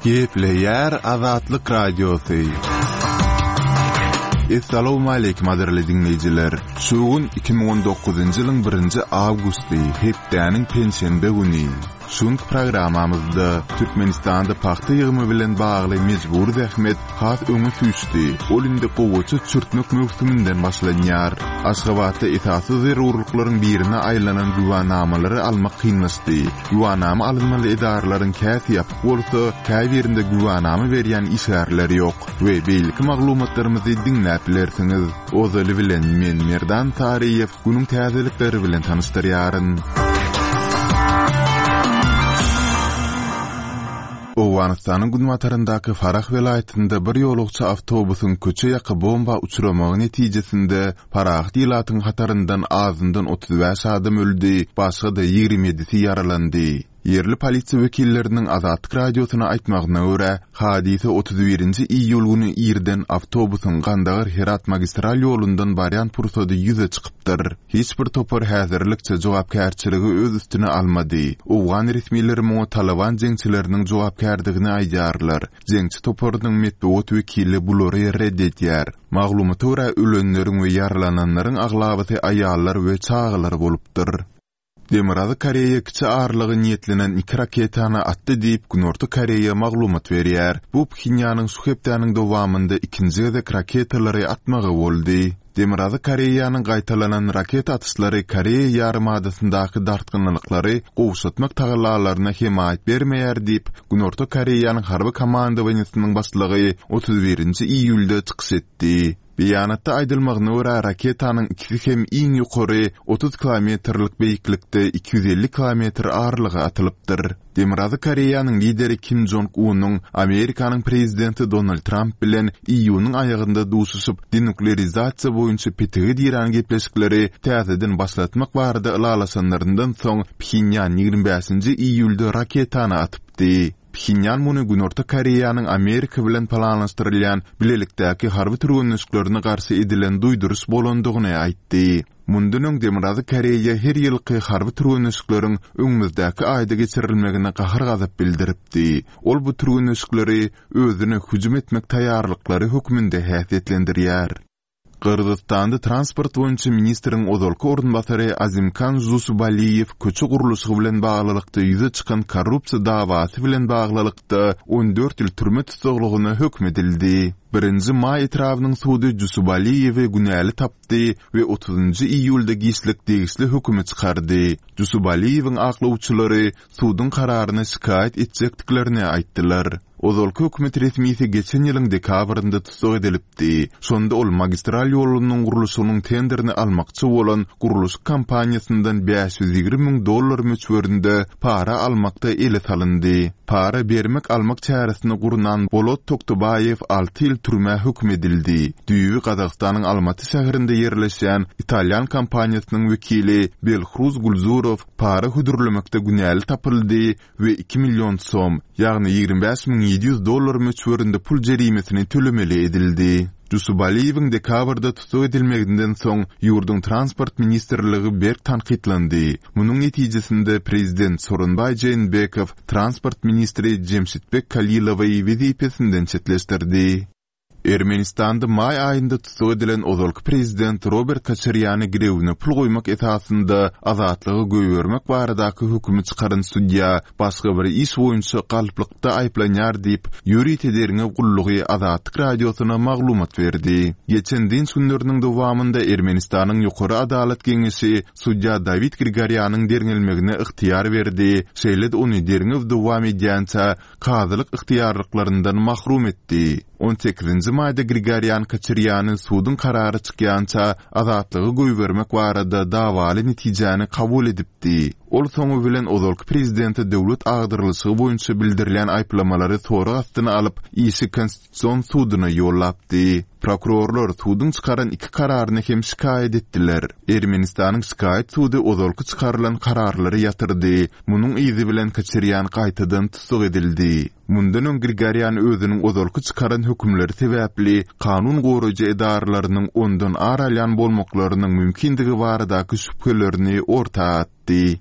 Gepleýär Azatlyk Radiosy. Essalawmaleýkim gadyrly diňleýjiler! Şu gün 2019-njy ýylyň birinji awgusty, hepdäniň penşenbe güni. Şu günki programmamyzda Türkmenistanda pagta ýygymy bilen bagly mejbury zähmet has öňe süýşdi, ol indi gowaça çürtmek möwsüminden başlanýar. Aşgabatda esasy zerurlyklaryň birine aýlanan güwänamalary almak kynlaşdy. Güwänama alynmaly edaralaryň käsi ýapyk bolsa, käbirinde güwänama berýän işgärler ýok we beýleki maglumatlarymyzy diňläp bilersiňiz. Ozaly bilen men Merdan Saryýew günüň täzelikleri bilen tanyşdyrýaryn. Owganystanyň günbataryndaky Farah welaýatynda bir ýolagçy awtobusyň köçe ýaka bomba uçramagy netijesinde parahat ilatyň hataryndan azyndan 35 adam öldi, başga-da 27-si ýaralandy. Ýerli polisiýa wekilleriniň Azatlyk Radiosyna aýtmagyna görä, hadysa 31-nji iýul güni irden awtobusyň Gandagar-Herat magistral ýolundan barýan pursady ýüze çykypdyr. Hiç bir topar häzirlikçe jogapkärçiligi öz üstüne almady. Owgan resmileri muňa Talyban jeňçileriniň jogapkärdigini aýdýarlar. Jeňçi toparynyň metbugat wekili bulary ret edýär. Maglumata görä, ölenleriň we ýaralananlaryň aglabasy aýallar we çagalar bolupdyr. Demirgazyk Koreýa kiçi aralyga niýetlenen iki raketany atdy diýip, Günorta Koreýa maglumat berýär. Bu Phenýanyň şu hepdäniň dowamynda ikinji gezek raketalary atmagy boldy. Demirgazyk Koreýanyň gaýtalanan raketa atyşlary Koreýa ýarymadasyndaky dartgynlylyklary gowşatmak tagallalaryna hemaýat bermeýär diýip, Günorta Koreýanyň harby komandowaniýesiniň başlygy 31-nji iýulda çykyş etdi. Beýanatda aýdylmagyna görä, raketanyň ikisi hem iň ýokary 30 kilometrlik beýiklikde 250 kilometr aralyga atylypdyr. Demirgazyk Koreýanyň lideri Kim Jong Unyň Amerikanyň prezidenti Donald Tramp bilen iýunyň aýagynda duşuşyp, denuklerizasiýa boýunça petige dirän gepleşikleri täzeden başlatmak barada ylalaşanlaryndan soň Phenýan 25-nji iýulda raketany atypdy. Phenýan muny Günorta Koreýanyň Amerika bilen planlaşdyrylýan bilelikdäki harby türgenleşiklerine garşy edilen duýduryş bolandygyny aýtdy. Mundan öň Demirgazyk Koreýa her ýylky harby türgenleşikleriň öňümizdäki aýda geçirilmegine gahar-gazap bildiripdi. Ol bu türgenleşikleri özüne hüjüm etmek taýýarlyklary hökmünde häsiýetlendirýär. Gyrgyzystanda transport boýunça ministriň ozalky orunbasary Azimkan Žusubaliýew köçe gurluşygy bilen baglylykda ýüze çykan korrupsiýa dawasy bilen baglylykda 14 ýyl türme tussaglygyna höküm edildi. Birinji Maý etrabynyň sudy Žusubaliýewi günäli tapdy we otuzynjy iýulda giçlik degişli hökümi çykardy. Žusubaliýewiň aklawçylary suduň kararyna şikaýat etjekdiklerini aýtdylar. Ozalky hökümet resmisi geçen ýylyň dekabrynda tussag edilipdi. Şonda ol magistral ýolunyň gurluşygynyň tenderini almakçy bolan gurluşyk kompaniýasyndan 520 müň dollar möçberinde para almakda ele salyndy. Para bermek-almak çäresini gurnan Bolot Toktobaýew alty ýyl türmä höküm edildi. Düýbi Gazagystanyň Almaty şäherinde ýerleşýän italýan kompaniýasynyň wekili Belhruz Gulzurow para hödürlemekde günäli tapyldy we iki million som, ýagny 25 700 dollar möçberinde pul jerimesini tölemeli edildi. Jusubaliýewiň dekabrda tussag edilmeginden soň ýurduň Transport ministrligi berk tankytlandy. Munuň netijesinde prezident Sooronbaý Jeenbekow transport ministri Jemşitbek Kalilowy wezipesinden çetleşdirdi. Ermenistanda maý aýynda tussag edilen ozalky prezident Robert Koçarýany girewine pul goýmak esasynda azatlyga goýbermek baradaky hökümi çykaran sudýa başga bir iş boýunça galplykda aýyplanýar diýip, ýörite derňew gullugy Azatlyk Radiosyna maglumat berdi. Geçen dynç günleriniň dowamynda Ermenistanyň Ýokary adalat geňeşi sudýa Dawid Grigorýanyň derňelmegine ygtyýar berdi, şeýle-de ony derňew dowam edýänçä kazylyk ygtyýarlyklaryndan mahrum etdi. On sekizinji maýda Grigorýan Koçarýany suduň karary çykýança azatlyga goýbermek barada dawaly netijäni kabul edipdi. Ol soňy bilen ozalky prezidente döwlet agdarylyşygy boýunça bildirilýän aýyplamalary sorag astyna alyp, işi Konstitusion suduna ýollapdy. Prokurorlar suduň çykaran iki kararyny hem şikaýat etdiler. Ermenistanyň şikaýat sudy ozalky çykarylan kararlary ýatyrdy. Munuň yzy bilen Koçarýan gaýtadan tussag edildi. Mundan öň Grigorýan özüniň ozalky çykaran hökümleri sebäpli kanun goraýjy edaralarynyň ondan ar alýan bolmaklarynyň mümkindigi baradaky şübhelerini orta atdy.